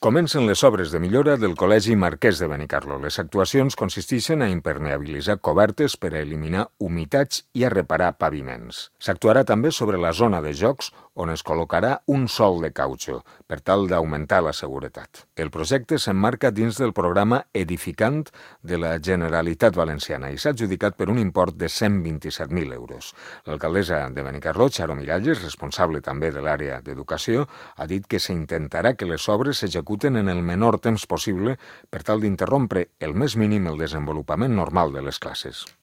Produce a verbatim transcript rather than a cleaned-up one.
Comencen les obres de millora del Col·legi Marquès de Benicarló. Les actuacions consisteixen a impermeabilitzar cobertes per a eliminar humitats i a reparar paviments. S'actuarà també sobre la zona de jocs, on es col·locarà un sòl de cautxo, per tal d'augmentar la seguretat. El projecte s'emmarca dins del programa Edificant de la Generalitat Valenciana i s'ha adjudicat per un import de cent vint-i-set mil euros. L'alcaldessa de Benicarló, Charo Miralles, responsable també de l'àrea d'educació, ha dit que s'intentarà que les obres s'executen en el menor temps possible per tal d'interrompre el més mínim el desenvolupament normal de les classes.